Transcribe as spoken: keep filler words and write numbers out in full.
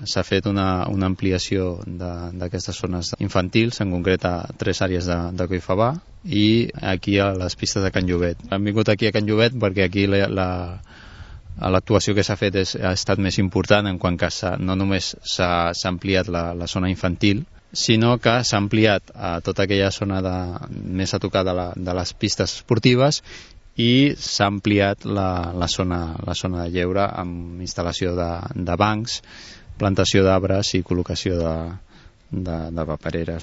s'ha fet una, una ampliació d'aquestes zones infantils, en concret a tres àrees de, de Collfabà i aquí a les pistes de Can Llobet. Hem vingut aquí a Can Llobet perquè aquí la, la l'actuació que s'ha fet és, ha estat més important en quant que no només s'ha ampliat la, la zona infantil, sinó que s'ha ampliat a tota aquella zona de, més a tocar de, la, de les pistes esportives i s'ha ampliat la, la, zona, la zona de lleure amb instal·lació de, de bancs, plantació d'arbres i col·locació de, de, de papereres. No?